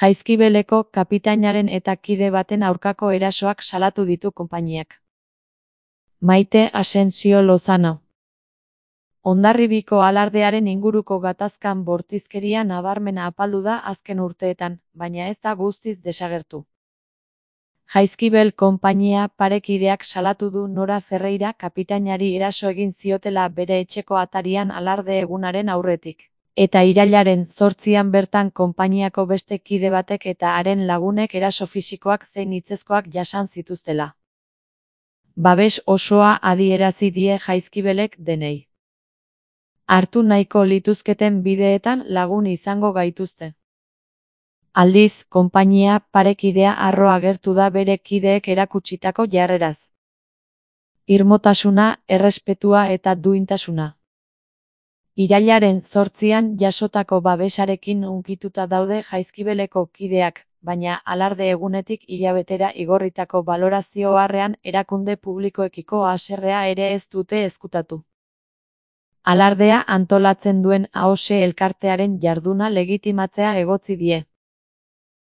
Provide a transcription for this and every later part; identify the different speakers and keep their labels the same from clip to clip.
Speaker 1: Jaizkibeleko kapitainaren eta kide baten aurkako erasoak salatu ditu konpainiak. Maite Asensio Lozano. Hondarribiko alardearen inguruko gatazkan bortizkeria nabarmena apaldu da azken urteetan, baina ez da guztiz desagertu. Jaizkibel konpainia parekideak salatu du Nora Ferreira kapitainari eraso egin ziotela bere etxeko atarian alarde egunaren aurretik. Eta irailaren 8an bertan konpainiako beste kide batek eta haren lagunek eraso fisikoak zein hitzezkoak jasan zituztela. Babes osoa adierazi die Jaizkibelek denei. Hartu nahiko lituzketen bideetan lagun izango gaituzte. Aldiz, konpainia parekidea harro agertu da bere kideek erakutsitako jarreraz. Irmotasuna, errespetua eta duintasuna. Irailaren 8an jasotako babesarekin hunkituta daude Jaizkibeleko kideak, baina alarde egunetik hilabetera igorritako balorazio harrean erakunde publikoekiko haserrea ere ez dute ezkutatu. Alardea antolatzen duen AOSE elkartearen jarduna legitimatzea egotzi die.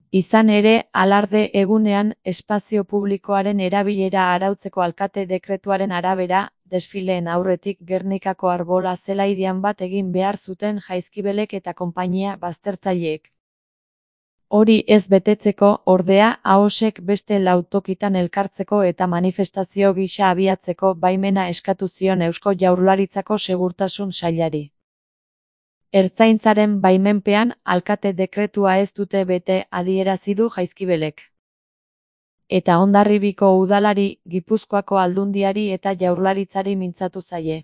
Speaker 1: Izan ere, alarde egunean espazio publikoaren erabilera arautzeko alkate dekretuaren arabera, desfileen aurretik Gernikako arbola zelaidian bat egin behar zuten Jaizkibelek eta konpainia baztertzaileek. Hori ez betetzeko, ordea, AOSek beste 4 tokitan elkartzeko eta manifestazio gisa abiatzeko baimena eskatu zion Eusko Jaurlaritzako Segurtasun Sailari. Ertzaintzaren baimenpean, alkate dekretua ez dute bete adierazi du Jaizkibelek. Eta Hondarribiko udalari, Gipuzkoako Aldundiari eta Jaurlaritzari mintzatu zaie.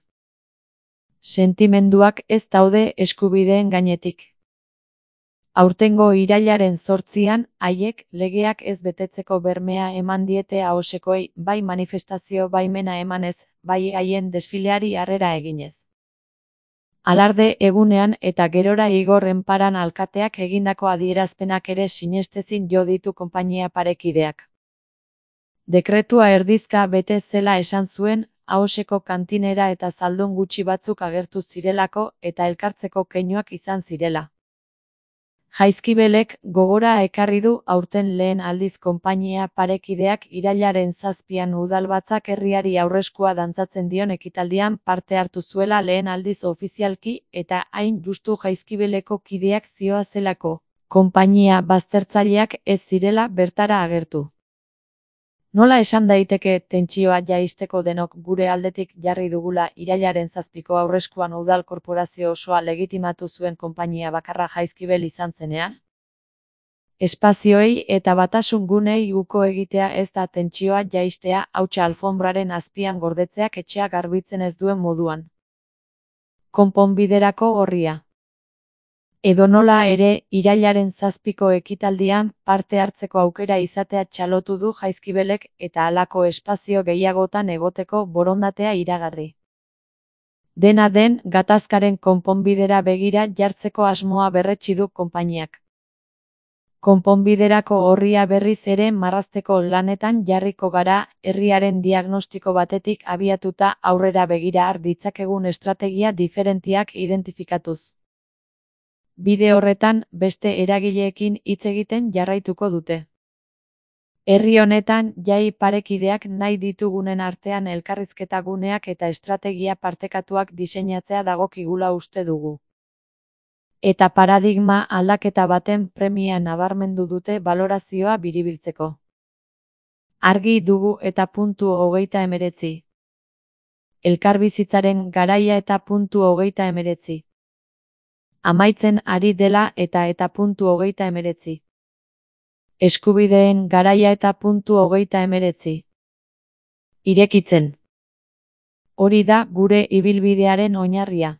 Speaker 1: Sentimenduak ez daude eskubideen gainetik. Aurtengo irailaren 8an, haiek legeak ez betetzeko bermea eman diete AOSekoei, bai manifestazio baimena emanez, bai haien desfileari harrera eginez. Alarde egunean eta gerora Igor Enparan alkateak egindako adierazpenak ere sinestezin jo ditu konpainia parekideak. Dekretua erdizka bete zela esan zuen, AOSeko kantinera eta zaldun gutxi batzuk agertu zirelako eta elkartzeko keinuak izan zirela. Jaizkibelek gogora ekarri du aurten lehen aldiz konpainia parekideak irailaren 7an udalbatzak herriari aurreskua dantzatzen dion ekitaldian parte hartu zuela lehen aldiz ofizialki eta hain justu Jaizkibeleko kideak zioazelako, konpainia baztertzaileak ez zirela bertara agertu. Nola esan daiteke tentsioa jaisteko denok gure aldetik jarri dugula irailaren 7ko aurreskuan udal korporazio osoa legitimatu zuen konpainia bakarra Jaizkibel izan zenean? Espazioei eta batasun gunei uko egitea ez da tentsioa jaistea, hautsa alfonbraren azpian gordetzeak etxea garbitzen ez duen moduan. Konponbiderako orria. Edonola ere, irailaren 7ko ekitaldian parte hartzeko aukera izatea txalotu du Jaizkibelek eta halako espazio gehiagotan egoteko borondatea iragarri. Dena den, gatazkaren konponbidera begira jartzeko asmoa berretsi du konpainiak. Konponbiderako orria berriz ere marrazteko lanetan jarriko gara, herriaren diagnostiko batetik abiatuta aurrera begira har ditzakegun estrategia diferenteak identifikatuz. Bide horretan, beste eragileekin hitz egiten jarraituko dute. Herri honetan, jai parekideak nahi ditugunen artean elkarrizketa guneak eta estrategia partekatuak diseinatzea dagokigula uste dugu. Eta paradigma aldaketa baten premia nabarmendu dute balorazioa biribiltzeko. Argi dugu eta .39. Elkarbizitzaren garaia eta .39. Amaitzen ari dela eta .39. Eskubideen garaia eta .39. Irekitzen. Hori da gure ibilbidearen oinarria.